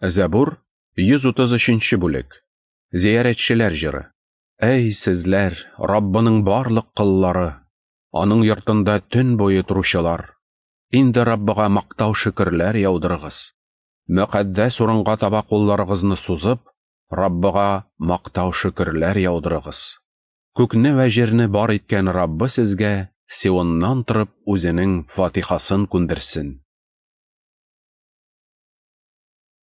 Зәбур, 133 бүлек. Зиярәтчеләр җыры. Әй, сезләр, Раббының барлык коллары, аның йортында төн буе торучылар! Инде Раббыга мактау шөкерләр яудырыгыз. Мөкаддәс урынга таба кулларыгызны сузып, Раббыга мактау шөкерләр яудырыгыз. Күкне вә җирне бар иткән Раббы сезгә Сионнан торып үзенең фатихасын күндерсен.